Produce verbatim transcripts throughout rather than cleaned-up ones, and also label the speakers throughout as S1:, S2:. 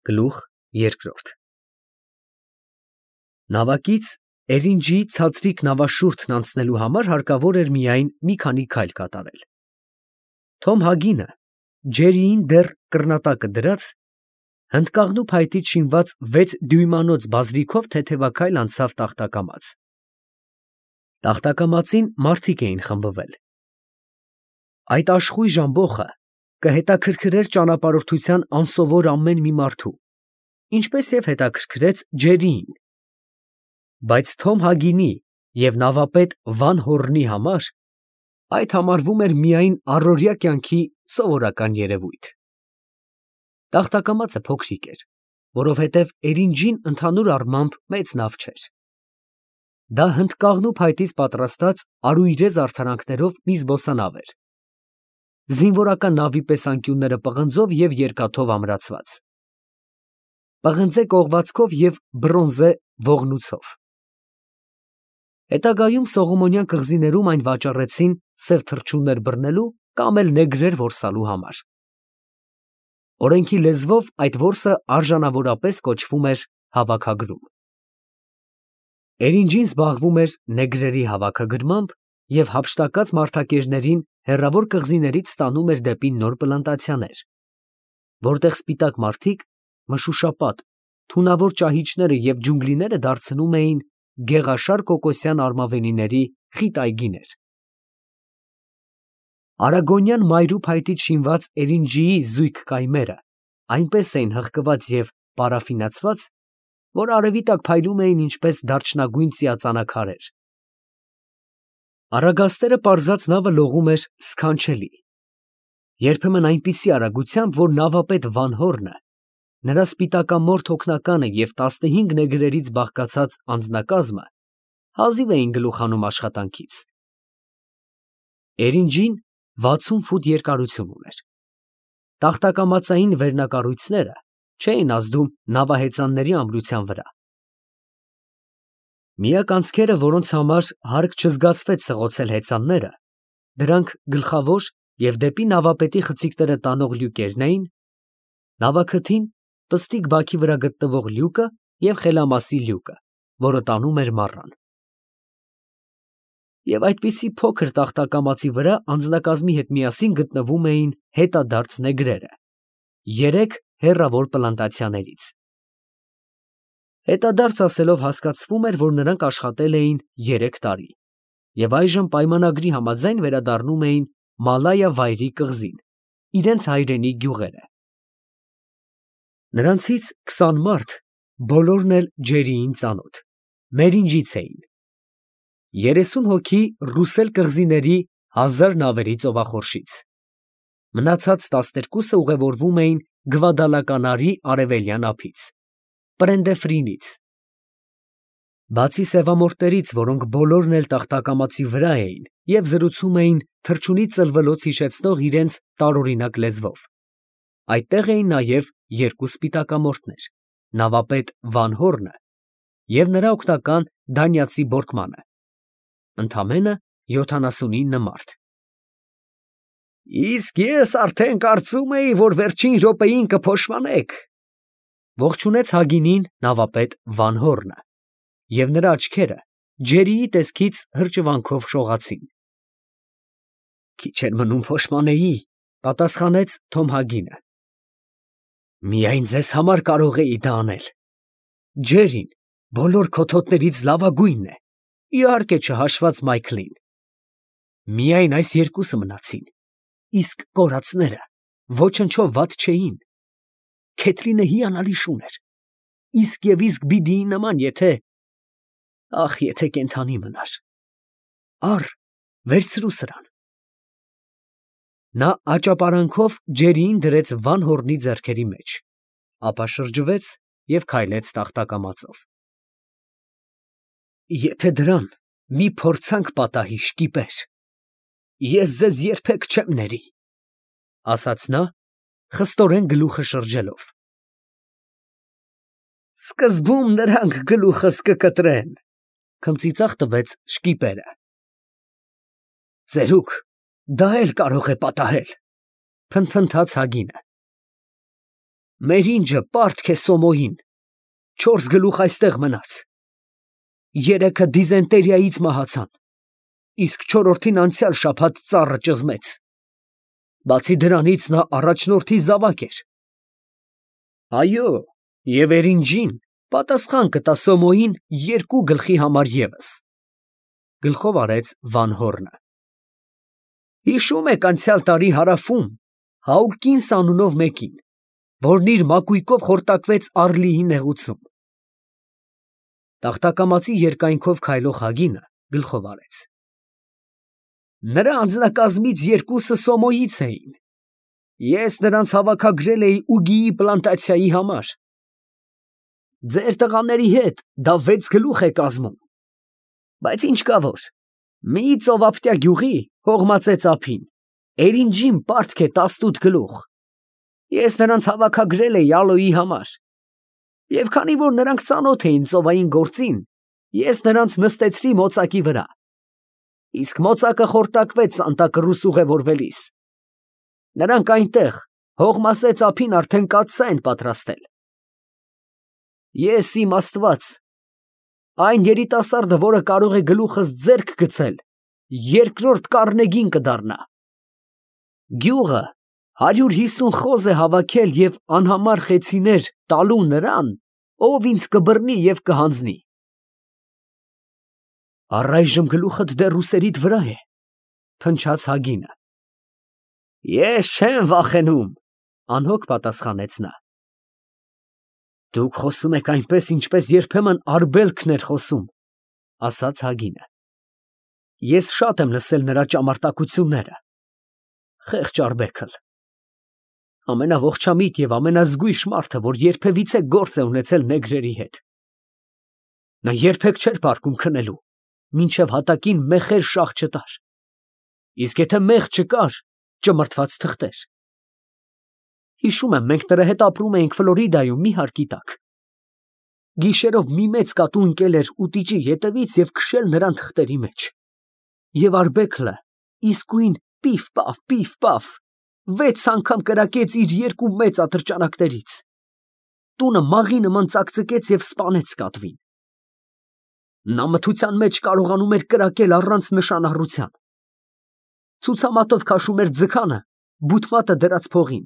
S1: Գլուխ երկրորդ Նավակից Էրինջի ցածրիկ նավաշուրթն անցնելու համար հարկավոր էր միայն մի քանի քայլ կատարել։ Թոմ Հագինը, ջերիին դեռ կռնատակը դրած, հնդկաղնու փայտից շինված վեց դյույմանոց բազրիքով թեթևաքայլ անցավ տախտակամաց։ Տախտակամածին մարդիկ էին խմբվել։ Այդ աշխույժ ամբոխը կհետաքրքրեր ճանապարհորդության անսովոր ամեն մի մարդու, ինչպես և հետաքրքրեց Ջերիին, բայց Թոմ Հագինի և նավապետ Վան Հորնի համար այդ համարվում էր միայն առօրյա կյանքի սովորական երևույթ։ Տախտակամածը փոքրիկ էր, որովհետև Էրինջին ընդհանուր առմամբ մեծ նավ չէր։ Դա հնդկաղնու փայտից պատրաստած արուիրե զարդարանքներով մի զբոսանավ էր, զինվորական նավի պես անկյունները պղնձով և երկաթով ամրացված, պղնձե կողվածքով և բրոնզե ողնուցով։ Հետագայում Սողոմոնյան կղզիներում այն վաճառեցին սև թռչուններ բռնելու կամ էլ նեգրեր որսալու համար։ Օրենքի լեզվով այդ որսը արժանավորապես կոչվում էր հավաքագրում։ Էրինջին զբաղվում էր նեգրերի հավաքագրմամբ և հափշտակած մարդակերներին հեռավոր կղզիներից տանում էր դեպի նոր պլանտացիաներ, որտեղ սպիտակ մարդիկ մշուշապատ, թունավոր ճահիճները և ջունգլիները դարձնում էին գեղաշար կոկոսյան արմավենիների խիտ այգիներ։ Արագոնյան մայրու փայտից շինված Էրինջիի զույգ կայմերը այնպես էին հղկված և պարաֆինացված, որ արևի տակ փայլում էին ինչպես դարչնագույն ծիածանաքարեր։ Արագաստերը պարզած նավը լողում էր սքանչելի, երբեմն այնպիսի արագությամբ, որ նավապետ Վան Հորնը, նրա սպիտակամորթ օգնականը և տասնհինգ նեգրերից բաղկացած անձնակազմը հազիվ էին գլուխ հանում աշխատանքից։ Էրինջին վաթսուն ֆուտ երկարություն ուներ։ Տախտակամածային վերնակառույցները չէին ազդում նավահեծանների ամրության վրա։ Միակ անցքերը, որոնց համար հարկ չզգացվեց սղոցել հեծանները, դրանք գլխավոր և դեպի նավապետի խցիկները տանող լյուկերն էին, նավաքթին պստիկ բաքի վրա գտնվող լյուկը և խելամասի լյուկը, որը տանում էր մառան։ Եվ այդպիսի փոքր տախտակամածի վրա անձնակազմի հետ միասին գտնվում էին հետադարձ նեգրերը երեք հեռավոր պլանտացիաներից։ Հետադարձ ասելով հասկացվում էր, որ նրանք աշխատել էին երեք տարի և այժմ պայմանագրի համաձայն վերադառնում էին Մալայա վայրի կղզին, իրենց հայրենի գյուղերը։ Նրանցից քսան մարդ, բոլորն էլ Ջերիին ծանոթ, Մերինջից էին, երեսուն հոգի Ռուսել կղզիների հազար նավերի ծովախորշից, մնացած տասներկուսը ուղևորվում էին Գվադալկանարի արևելյան ափից, Պրենդեֆրինից։ Բացի սևամորթներից, որոնք բոլորն էլ տախտակամածի վրա էին և զրուցում էին թռչունի ծլվելոց հիշեցնող իրենց տարօրինակ լեզվով, այդտեղ էին նաև երկու սպիտակամորթներ, նավապետ Վան Հորնը և նրա օգնական դանիացի Բորկմանը, ընդամենը յոթանասունինը մարդ։ ֊ Իսկ ես արդեն կարծում էի, որ վերջին րոպեին կփոշմանեք, ֊ ողջունեց Հագինին նավապետ Վան Հորնը, և նրա աչքերը Ջերիի տեսքից հրճվանքով շողացին։ ֊ Քիչ էր մնում փոշմանեի, ֊ պատասխանեց Թոմ Հագինը։ ֊ Միայն ձեզ համար կարող էի դա անել։ Ջերին բոլոր քոթոտներից լավագույնն է, իհարկե չհաշված Մայքլին։ Միայն այս երկուսը մնացին, իսկ կորածները ոչնչով վատ չէին։ Քեթրինը հիանալի շուն էր, իսկ և իսկ Բիդիի նման, եթե… ախ, եթե կենդանի մնար… Առ, վերցրու սրան։ Նա աճապարանքով Ջերիին դրեց Վան Հորնի ձեռքերի մեջ, ապա շրջվեց և քայլեց տախտակամածով։ Եթե դրան մի փորձանք պատահի, շկիպեր, ես ձեզ երբեք չեմ ների, ֊ ասաց նա, խստորեն գլուխը շրջելով։ ֊ Սկզբում նրանք գլուխս կկտրեն, ֊ քմծիծաղ տվեց շկիպերը։ ֊ Ծերուկ, դա էլ կարող է պատահել, ֊ փնթփնթաց Հագինը։ Մեր ինջը պարտք է Սոմոյին, չորս գլուխ այստեղ մնաց, երեքը դիզենտերիայից մահացան, իսկ չորրորդին անցյալ շաբաթ ծառը ճզմեց, բացի դրանից նա առաջնորդի զավակ էր։ Այո, և Էրինջին պատասխան կտա Սոմոյին երկու գլխի համար ևս։ Գլխով արեց Վանհորնը։ Հիշում եք անցյալ տարի հարավում Հաուկինս անունով մեկին, որն իր մակույկով խորտակվեց Առլիի նեղուցում։ Տախտակամածի երկայնքով քայլող Հագինը գլխով արեց։ Նրա անձնակազմից երկուսը Սոմոյից էին։ Ես նրանց հավաքագրել էի ուգիի պլանտացիայի համար։ Ձեր տղաների հետ դա վեց գլուխ է կազմում։ Բայց ինչ կա որ, մի ծովափտյա գյուղի հողմածեց ափին, Էրինջին պարտք է տասնութ գլուխ։ Ես նրանց հավաքագրել էի ալոյի համար։ Եվ քանի որ նրանք ծանոթ էին ծովային գործին, ես նրանց նստեցրի մոծակի վրա։ Իսկ մոծակը խորտակվեց անտակռուս ուղևորվելիս։ Նրանք այնտեղ հողմասեց ափին արդեն կաթսա են պատրաստել։ Ես իմ Աստված, այն երիտասարդը, որը կարող է գլուխս ձեռք գցել, երկրորդ կառնեգին կդառնա։ Գյուղը հարյուր հիսուն խոզ է հավաքել և անհամար խեցիներ տալու նրան, ով ինձ կբռնի և կհանձնի։ Առայժմ գլուխդ դեռ ուսերիդ վրա է, փնչաց Հագինը։ Ես չեմ վախենում, անհոգ պատասխանեց նա։ Դուք խոսում եք այնպես, ինչպես երբեմն Արգբելքն էր խոսում, ասաց Հագինը։ Ես շատ եմ լսել նրա ճամարտակությունները։ Խեղճ Արգբեքլ, ամենաողջամիտ և ամենազգույշ մարդը, որ երբևիցե գործ է ունեցել նեգրերի հետ։ Նա երբեք չէր պարկում քնելու, մինչև հատակին մեխեր շաղ չտար, իսկ եթե մեղ չկար, ճմրթված թղթեր։ Հիշում եմ, մենք նրա հետ ապրում էինք Ֆլորիդայում մի հարկի տակ։ Գիշերով մի մեծ կատու ընկել էր ուտիճի ետևից և քշել նրան թղթերի մեջ։ Եվ Արգբեքլը իսկույն պիֆ֊պաֆ, պիֆ֊պաֆ, վեց անգամ կրակեց իր երկու մեծ ատրճանակներից։ Տունը մաղի նման ծակծկեց և սպանեց կատվին։ Նա մթության մեջ կարողանում էր կրակել առանց նշանառության։ Ցուցամատով քաշում էր ձգանը, բութմատը դրած փողին։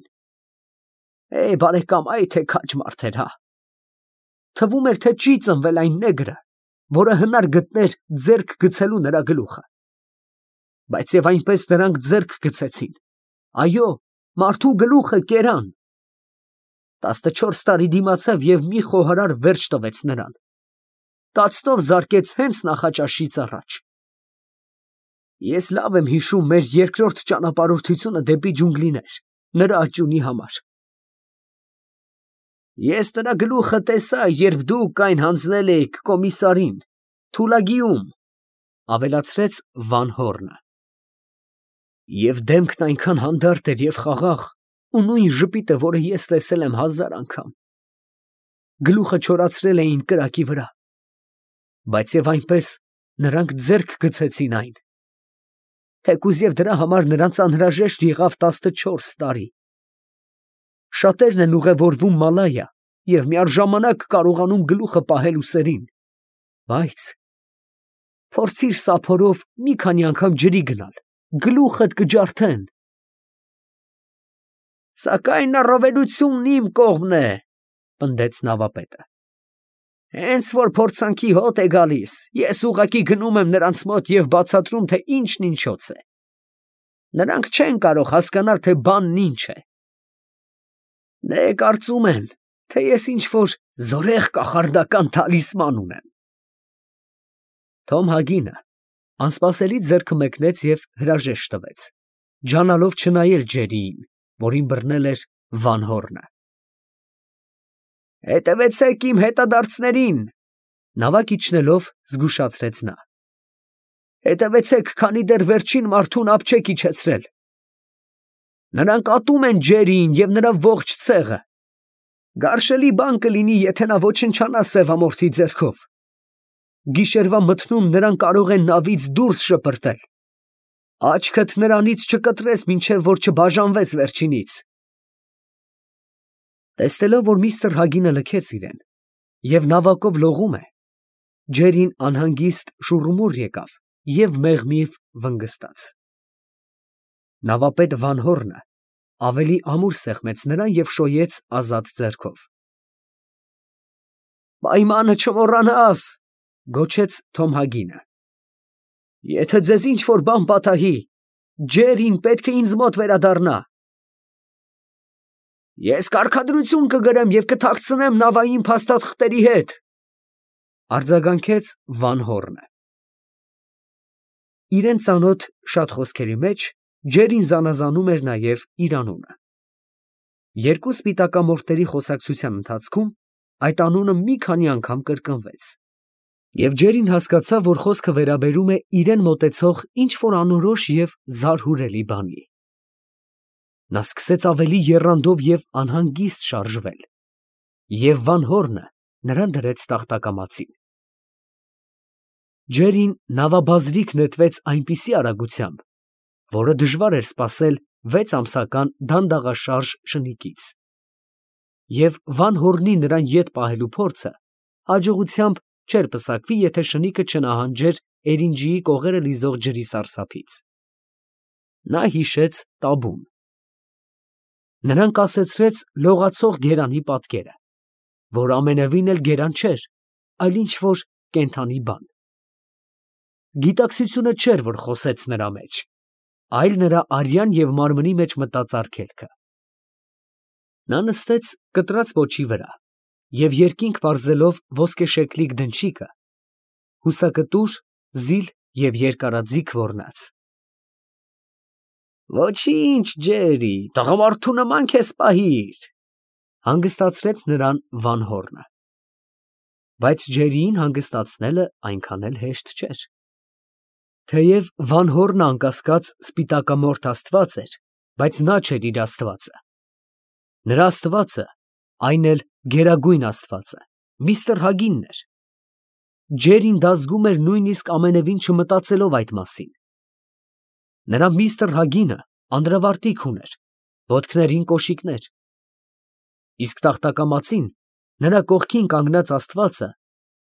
S1: Է, բարեկամ, այ թե քաջ մարդ էր, հա։ Թվում էր, թե չի ծնվել այն նեգրը, որը հնար գտներ ձեռք գցելու նրա գլուխը։ Բայց և այնպես նրանք ձեռք գցեցին։ Այո, մարդու գլուխը կերան։ Տասնչորս տարի դիմացավ և մի խոհարար վերջ տվեց նրան։ Տացնով զարկեց հենց նախաճաշից առաջ։ Ես լավ եմ հիշում մեր երկրորդ ճանապարհորդությունը դեպի ջունգլիներ, նրա աճյունի համար։ Ես նրա գլուխը տեսա, երբ դուք այն հանձնել էիք կոմիսարին, Թուլագիում, ավելացրեց Վանհորնը։ Եվ դեմքն այնքան հանդարտ էր և խաղաղ, ու նույն ժպիտը, որը ես տեսել եմ հազար անգամ։ Գլուխը չորացրել էին կրակի վրա, բայց և այնպես նրանք ձեռք գցեցին այն, թեկուզ և դրա համար նրանց անհրաժեշտ եղավ տասնչորս տարի։ Շատերն են ուղևորվում Մալայա և միառժամանակ կարողանում գլուխը պահել ուսերին, բայց փորձիր սափորով մի քանի անգամ ջրի գնալ, գլուխդ կջարդեն։ Սակայն առավելությունն իմ կողմն է, պնդեց նավապետը։ Հենց որ փորձանքի հոտ է գալիս, ես ուղղակի գնում եմ նրանց մոտ և բացատրում, թե ինչն ինչոց է։ Նրանք չեն կարող հասկանալ, թե բանն ինչ է։ Դե կարծում են, թե ես ինչ֊որ զորեղ կախարդական թալիսման ունեմ։ Թոմ Հագինը անսպասելի ձեռքը մեկնեց և հրաժեշտ տվեց, ջանալով չնայել Ջերիին, որին բռնել էր Վանհորնը։ Հետևեցեք իմ հետադարձներին, նավակ իջնելով զգուշացրեց նա։ Հետևեցեք, քանի դեռ վերջին մարդուն ափ չեք իջեցրել։ Նրանք ատում են Ջերիին և նրա ողջ ցեղը։ Գարշելի բան կլինի, եթե նա ոչնչանա սևամորթի ձեռքով։ Գիշերվա մթնում նրան կարող են նավից դուրս շպրտել։ Աչքդ նրանից չկտրես, մինչև որ չբաժանվես վերջինից։ Տեսնելով, որ միստր Հագինը լքեց իրեն և նավակով լողում է, Ջերին անհանգիստ շուռումուռ եկավ և մեղմիվ վնգստաց։ Նավապետ Վանհոռնը ավելի ամուր սեղմեց նրան և շոյեց ազատ ձեռքով։ «Պայմանը չմոռանաս, ֊ գոչեց Թոմ Հագինը, ֊ եթե ձեզ ինչ֊որ բան պատահի, Ջերին պետք է ինձ մոտ վերադառնա»։ «Ես կարգադրություն կգրեմ և կթաքցնեմ նավային փաստաթղթերի հետ, ֊ արձագանքեց Վանհոռնը։ Իրան ծանոթ շատ խոսքերի մեջ Ջերին զանազանում էր նաև իր անունը։ Երկու սպիտակամորթերի խոսակցության ընթացքում այդ անունը մի քանի անգամ կրկնվեց, և Ջերին հասկացավ, որ խոսքը վերաբերում է իրան մոտեցող ինչ֊որ անորոշ և զարհուրելի բանի։ Նա սկսեց ավելի եռանդով և անհանգիստ շարժվել, և Վանհոռնը նրան դրեց տախտակամածին։ Ջերին նավաբազրիկ նետվեց այնպիսի արագությամբ, որը դժվար էր սպասել վեց ամսական դանդաղաշարժ շնիկից, և Վանհոռնի նրան ետ պահելու փորձը հաջողությամբ չէր պսակվի, եթե շնիկը չնահանջեր էրինջիի կողերը լիզող ջրի սարսափից։ Նա հիշեց տաբուն։ Նրան կասեցրեց լողացող գերանի պատկերը, որ ամենևին էլ գերան չէր, այլ ինչ֊որ կենդանի բան։ Գիտակցությունը չէր, որ խոսեց նրա մեջ, այլ նրա արյան և մարմնի մեջ մտած արգելքը։ Նա նստեց կտրած պոչի վրա և երկինք պարզելով ոսկեշեկլիկ դնչիկը, հուսակտուր, զիլ և երկարաձիգ ոռնաց։ «Ոչինչ, Ջերի, տղամարդու նման քեզ պահիր, ֊ հանգստացրեց նրան Վանհոռնը։ Բայց Ջերիին հանգստացնելը այնքան էլ հեշտ չէր։ Թեև Վանհոռնը անկասկած սպիտակամորթ աստված էր, բայց նա չէր իր աստվածը։ Նրա աստվածը, այն էլ գերագույն աստվածը, միստր Հագինն էր։ Ջերին դա զգում էր նույնիսկ ամենևին չմտածելով այդ մասին։ Նրա միստր Հագինը անդրավարտիք ուներ, ոտքներին կոշիկներ, իսկ տախտակամածին նրա կողքին կանգնած աստվածը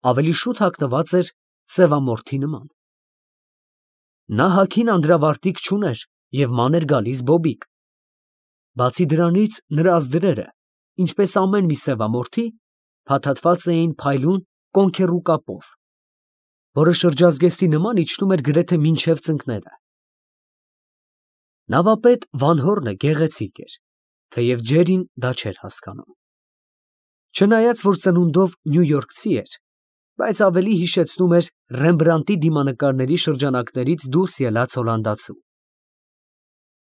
S1: ավելի շուտ հագնված էր սևամորթի նման։ Նա հագին անդրավարտիք չուներ և ման էր գալիս բոբիկ։ Բացի դրանից նրա ազդրերը, ինչպես ամեն մի սևամորթի, փաթաթված էին փայլուն կոնքեռու կապով, որը շրջազգեստի նման իջնում էր գրեթե մինչև ծնկները։ Նավապետ Վանհոռնը գեղեցիկ էր, թեև Ջերին դա չէր հասկանում։ Չնայած որ ծնունդով նյույորքցի էր, բայց ավելի հիշեցնում էր Ռեմբրանդտի դիմանկարների շրջանակներից դուրս ելած հոլանդացու։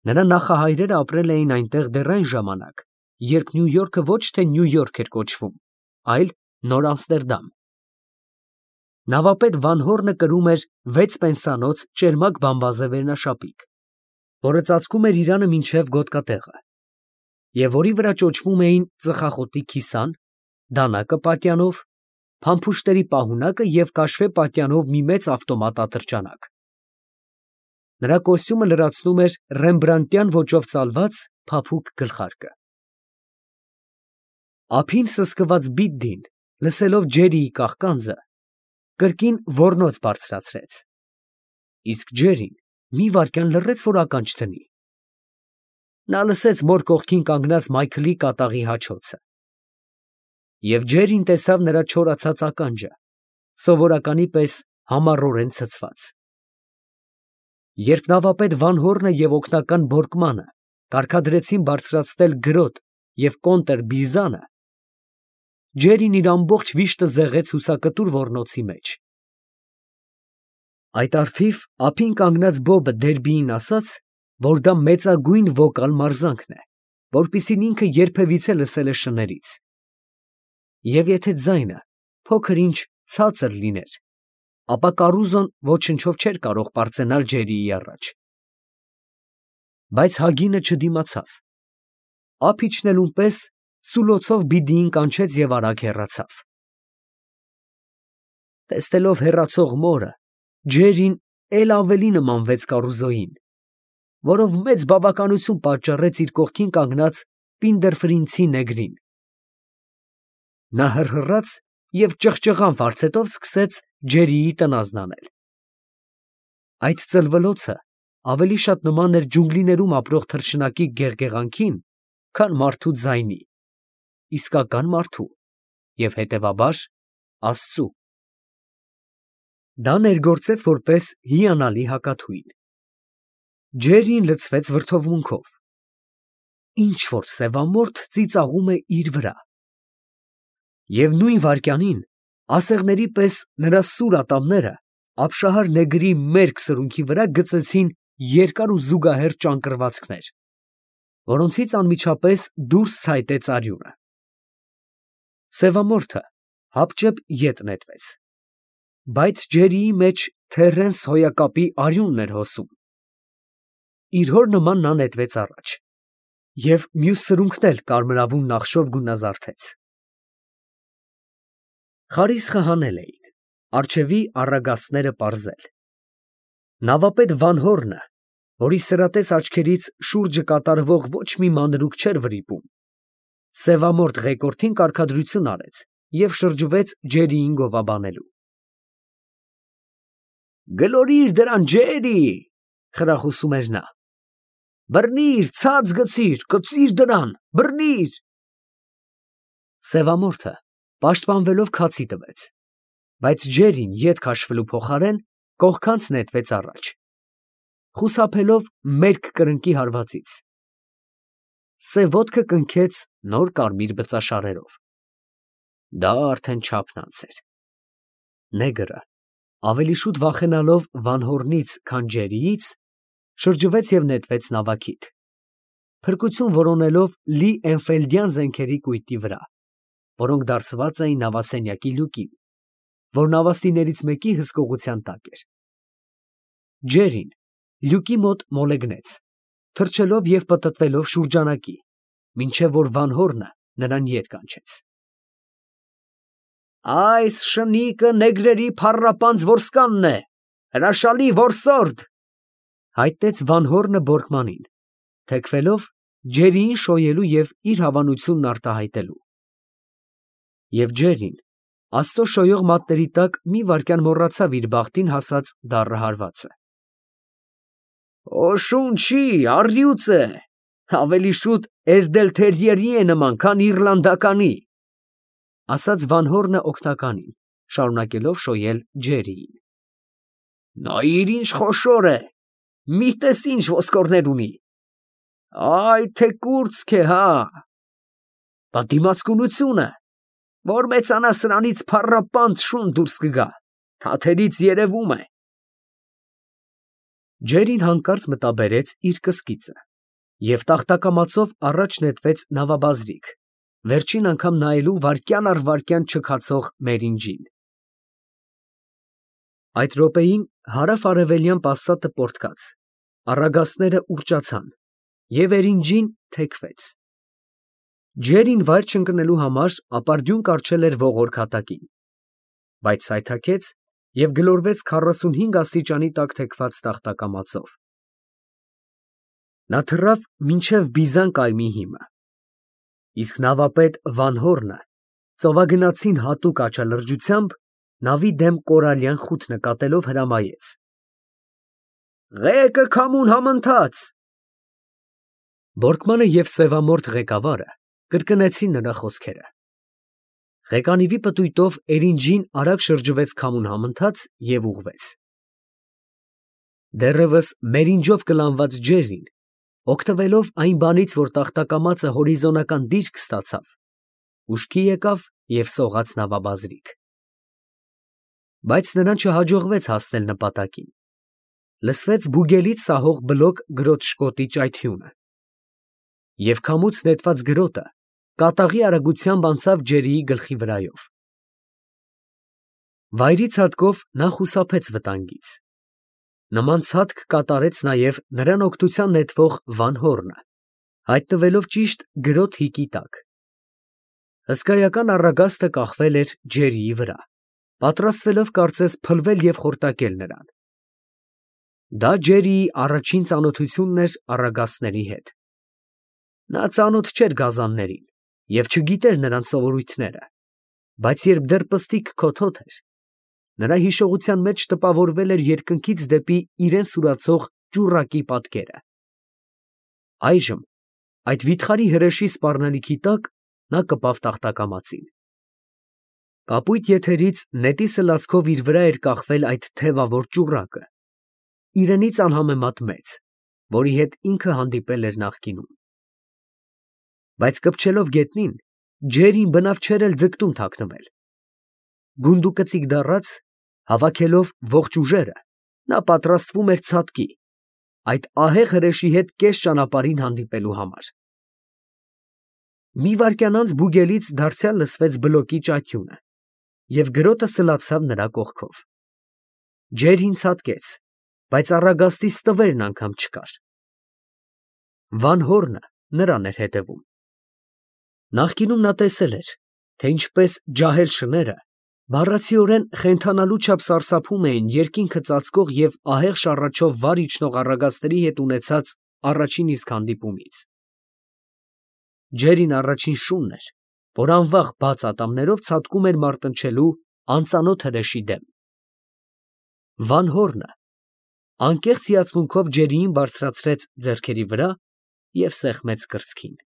S1: Նրա նախահայրերը ապրել էին այնտեղ դեռ այն ժամանակ, երբ Նյույորքը ոչ թե Նյույորք էր կոչվում, այլ Նոր Ամստերդամ։ Նավապետ Վանհոռնը կրում էր վեց պենսանոց ճերմակ բամբազե վերնաշապիկ, որը ծածկում էր իրանը մինչև գոտկատեղը, և որի վրա ճոճվում էին ծխախոտի քիսան, դանակը պատյանով, փամփուշտների պահունակը և կաշվե պատյանով մի մեծ ավտոմատ ատրճանակ։ Նրա կոստյումը լրացնում էր ռեմբրանդտյան ոճով ծալված փափուկ գլխարկը։ Ափին սսկված բիդդին, լսելով Ջերիի կաղկանձը, կրկին ոռնոց բարձրացրեց, իսկ Ջերին մի վայրկյան լռեց, որ ականջ դնի։ Նա լսեց մոր կողքին կանգնած Մայքլի կատաղի հաչոցը, և Ջերին տեսավ նրա չորացած ականջը, սովորականի պես համառորեն ցցված։ Երբ նավապետ Վանհոռնը և օգնական Բորկմանը կարգադրեցին բարձրացնել գրոտ և կոնտր֊բիզանը, Ջերին իր ամբողջ վիշտը զեղեց հուսակտուր ոռնոցի մեջ։ Այդ առթիվ ափին կանգնած Բոբը Դերբիին ասաց, որ դա մեծագույն վոկալ մարզանքն է, որպիսին ինքը երբևիցե լսել է շներից, և եթե ձայնը փոքր֊ինչ ցածր լիներ, ապա կառուզոն ոչնչով չէր կարող պարծենալ Ջերիի առաջ։ Բայց Հագինը չդիմացավ, ափ իջնելուն պես սուլոցով բիդիին կանչեց և արագ հեռացավ։ Տեսնելով հեռացող մորը, Ջերին էլ ավելի նմանվեց կառուզոյին, որով մեծ բավականություն պատճառեց իր կողքին կանգնած Պինդերֆրինցի նեգրին։ Նա հռհռաց և ճղճղան վարձետով սկսեց Ջերիի տնազն անել։ Այդ ծլվլոցը ավելի շատ նման էր ջունգլիներում ապրող թռչնակի գեղգեղանքին, քան մարդու ձայնի, իսկական մարդու և հետևաբար Աստծու։ Դա ներգործեց որպես հիանալի հակաթույն։ Ջերրին լցվեց վրդովմունքով. ինչ֊որ սևամորթ ծիծաղում է իր վրա։ Եվ նույն վայրկյանին ասեղների պես նրա սուր ատամները ապշահար նեգրի մերկ սրունքի վրա գծեցին երկար ու զուգահեռ ճանկռվածքներ, որոնցից անմիջապես դուրս ցայտեց արյունը։ Սևամորթը հապճեպ ետ նետվեց, բայց Ջերիի մեջ թեռնս հոյակապի արյունն էր հոսում։ Իր հոր նման նա նետվեց առաջ, և մյուս սրունքն էլ կարմրավուն նախշով գունազարդեց։ Խարիսխը հանել էին, առջևի առագաստները պարզել։ Նավապետ Վանհոռնը, որի սրատես աչքերից շուրջը կատարվող ոչ մի մանրուք չէր վրիպում, սևամորթ ղեկորդին կարգադրություն արեց և շրջվեց Ջերիին գովաբանելու։ «Գլորիր դրան, Ջերի, ֊ խրախուսում էր նա, ֊ բռնիր, ցած գցիր, կծիր դրան, բռնիր»։ Սևամորթը պաշտպանվելով քացի տվեց, բայց Ջերին ետ քաշվելու փոխարեն կողքանց նետվեց առաջ, խուսափելով մերկ կրնկի հարվածից։ Սև ոտքը կնքեց նոր կարմիր բծաշարերով։ Դա արդեն չափն անց էր։ Նեգրը, ավելի շուտ վախենալով Վանհոռնից, քան Ջերիից, շրջվեց և նետվեց նավակիդ, փրկություն որոնելով լի էնֆիելդյան զենքերի կույտի վրա, որոնք դարսված էին նավասենյակի լյուկին, որ նավաստիներից մեկի հսկողության տակ էր։ Ջերին լյուկի մոտ մոլեգնեց, թռչելով և պտտվելով շուրջանակի, մինչև որ Վանհոռնը նրան ետ կանչեց։ «Այս շնիկը նեգրերի փառապանծ որսկանն է, հրաշալի որսորդ, ֊ հայտնեց Վանհոռնը բորկմանին, թեքվելով Ջերիին շոյելու և իր հավանությունն արտահայտելու։ Եվ Ջերին Աստծո շոյող մատների տակ մի վայրկյան մոռացավ իր բախտին հասած դառը հարվածը։ «Քո շունչի առյուծ է, ավելի շուտ էրդել֊թերիերի է նման, քան իռլանդականի, ֊ ասաց Վանհոռնը օգնականին, շարունակելով շոյել Ջերիին։ Նայիր ինչ խոշոր է, մի տես ինչ ոսկորներ ունի, այ թե կուրծք է, հա, բա դիմացկունությունը, որ մեծանա սրանից փառապանծ շուն դուրս կգա, թաթերից երևում է»։ Ջերին հանկարծ մտաբերեց իր կսկիծը և տախտակամածով առաջ նետվեց նավաբազրիկ, վերջին անգամ նայելու վայրկյան առ վայրկյան չքացող Մերինջին։ Այդ րոպեին հարավ֊արևելյան պաստատը պոռթկաց, առագաստները ուռճացան, և Էրինջին թեքվեց։ Ջերին վայր չընկնելու համար ապարդյուն կառչել էր ողորկ հատակին, բայց սայթաքեց և գլորվեց քառասունհինգ աստիճանի տակ թեքված տախտակամածով։ Նա թռավ մինչև բիզան կայմի հիմը, իսկ նավապետ Վանհոռնը ծովագնացին հատուկ աչալրջությամբ նավի դեմ կորալյան խութ նկատելով հրամայեց. «Ղեկը քամուն համընթաց»։ Բորկմանը և սևամորթ ղեկավարը կրկնեցին նրա խոսքերը։ Ղեկանիվի պտույտով Էրինջին արագ շրջվեց քամուն համընթաց և ուղղվեց։ Դեռևս Մերինջով կլանված Ջերին, օգտվելով այն բանից, որ տախտակամածը հորիզոնական դիրք ստացավ, ուշքի եկավ և սողաց նավաբազրիկ։ Բայց նրան չհաջողվեց հասնել նպատակին։ Լսվեց բուգելից սահող բլոկ գրոտշկոտի ճայթյունը, և քամուց նետված գրոտը կատաղի արագությամբ անցավ Ջերիի գլխի վրայով։ Վայրի ցատկով նա խուսափեց վտանգից։ Նման ցատկ կատարեց նաև նրան օգնության նետվող Վանհոռնը, հայտնվելով ճիշտ գրոտ֊հիկի տակ։ Հսկայական առագաստը կախվել էր Ջերիի վրա, պատրաստվելով կարծես փլվել և խորտակել նրան։ Դա Ջերիի առաջին ծանոթությունն էր առագաստների հետ։ Նա ծանոթ չէր գազաններին և չգիտեր նրանց սովորույթները, Բայց երբ դեռ պստիկ քոթոթ էր, նրա հիշողության մեջ տպավորվել էր երկնքից դեպի իրան սուրացող ճուռակի պատկերը։ Այժմ այդ վիթխարի հրեշի սպառնալիքի տակ նա կպավ տախտակամածին։ Կապույտ եթերից նետի սլացքով իր վրա էր կախվել այդ թևավոր ճուռակը, իրենից անհամեմատ մեծ, որի հետ ինքը հանդիպել էր նախկինում։ Բայց կպչելով գետնին, ջերին բնավ չէր էլ ձգտում թաքնվել։ Գունդուկծիկ դառած, հավաքելով ողջ ուժերը, նա պատրաստվում էր ցատկի, այդ ահեղ հրեշի հետ կես ճանապարհին հանդիպելու համար։ Մի վայրկյան անց բուգելից դարձյալ լսվեց բլոկի ճաճյունը, և գրոտը սլացավ նրա կողքով։ Ջերին ցատկեց, բայց առագաստի ստվերն անգամ չկար։ Վանհորնը նրան էր հետևում։ Նախկինում նա տեսել էր, թե ինչպես ջահել շները բառացիորեն խենթանալու չափ սարսափում էին երկինքը ծածկող և ահեղ շառաչով վար իջնող առագաստերի հետ ունեցած առաջին իսկ հանդիպումից։ Ջերին առաջին շունն էր, որ անվախ բաց ատամներով ցատկում էր մարտնչելու անծանոթ հրեշի դեմ։ Վանհորնը անկեղծ հիացմունքով ջերիին բարձրացրեց ձեռքերի վրա և սեղմեց կրծքին։